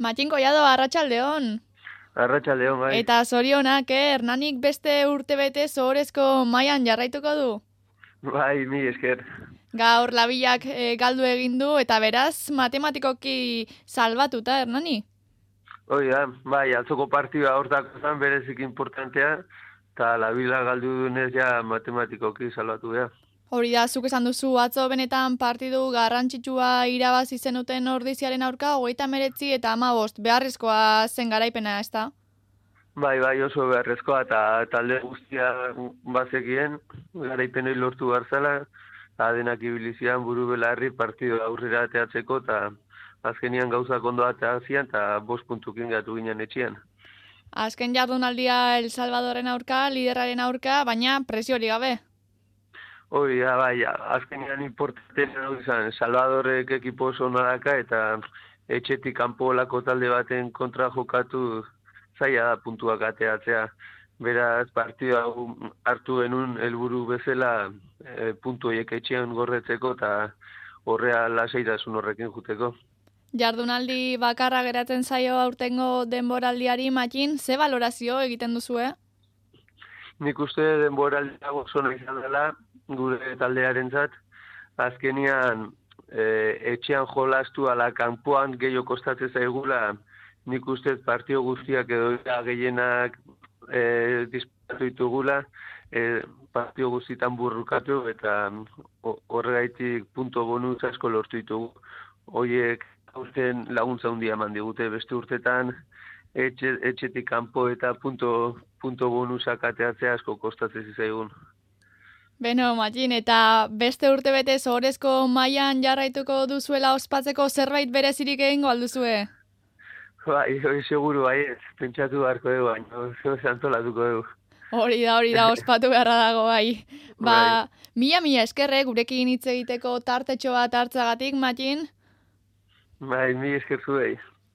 Matxin Collado, arratsaldeon. Arratsaldeon, bai. Eta zorionak, Hernanik beste urtebete ohorezko mailan jarraituko du. Bai, mi esker. Gaur labilak galdu egin du eta beraz matematikoki salbatuta Hernani. Hoi da, bai, atzoko partida hortako zen berezik importantea, eta labila galdu dunez ja matematikoki salbatu da. Hori da, zuk esan duzu, atzo benetan partidu garrantzitsua irabazi zenuten Ordiziaren aurka, 39 eta 15, beharrezkoa zen garaipena, ezta? Bai, oso beharrezkoa, eta talde guztia bazekien, garaipenoi lortu garzala, denak ibilizian buru belarri partidu aurrera ateatzeko, eta azkenian gauzak ondo ateazian, eta 5 puntukin gatu ginen etxian. Azken jardunaldia El Salvadorren aurka, liderraren aurka, baina presiori gabe. Hori da, bai, azkenean importantena izan, Salvadorrek ekipo oso nadaka eta etxetik kanpo olako talde baten kontra jokatu zaila da puntuak ateatzea. Beraz, partida hartu genuen helburu bezala puntu horiek etxean gorretzeko eta horrea lasaitasun horrekin juteko. Jardunaldi bakarra geratzen zaio aurtengo denboraldiari, Matxin, ze valorazio egiten duzue? Nik uste denboraldia oso nahi izan dela, gure taldearentzat, azkenian etxean jolastu ala kanpoan gehiago kostatzen zaigula, nik uste partio guztiak edo gehienak disparatu ditugula, partio guztietan burrukatu eta horregaitik punto bonus asko lortu ditugu. Horiek aurten laguntza handia eman digute, beste urtetan etxetik kanpo eta punto bonusak ateatzea asko kostatzen zizaigun. Beno, Matxin, eta beste urtebete ohorezko mailan jarraituko duzuela ospatzeko zerbait berezirik egingo alduzue? Bai, hori seguru bai, pentsatu beharko dugu, baina antolatuko dugu. Hori da, ospatu beharra dago, bai. Mila eskerrek gurekin hitz egiteko tartetxo bat hartzagatik, Matxin? Bai, mi esker zuei.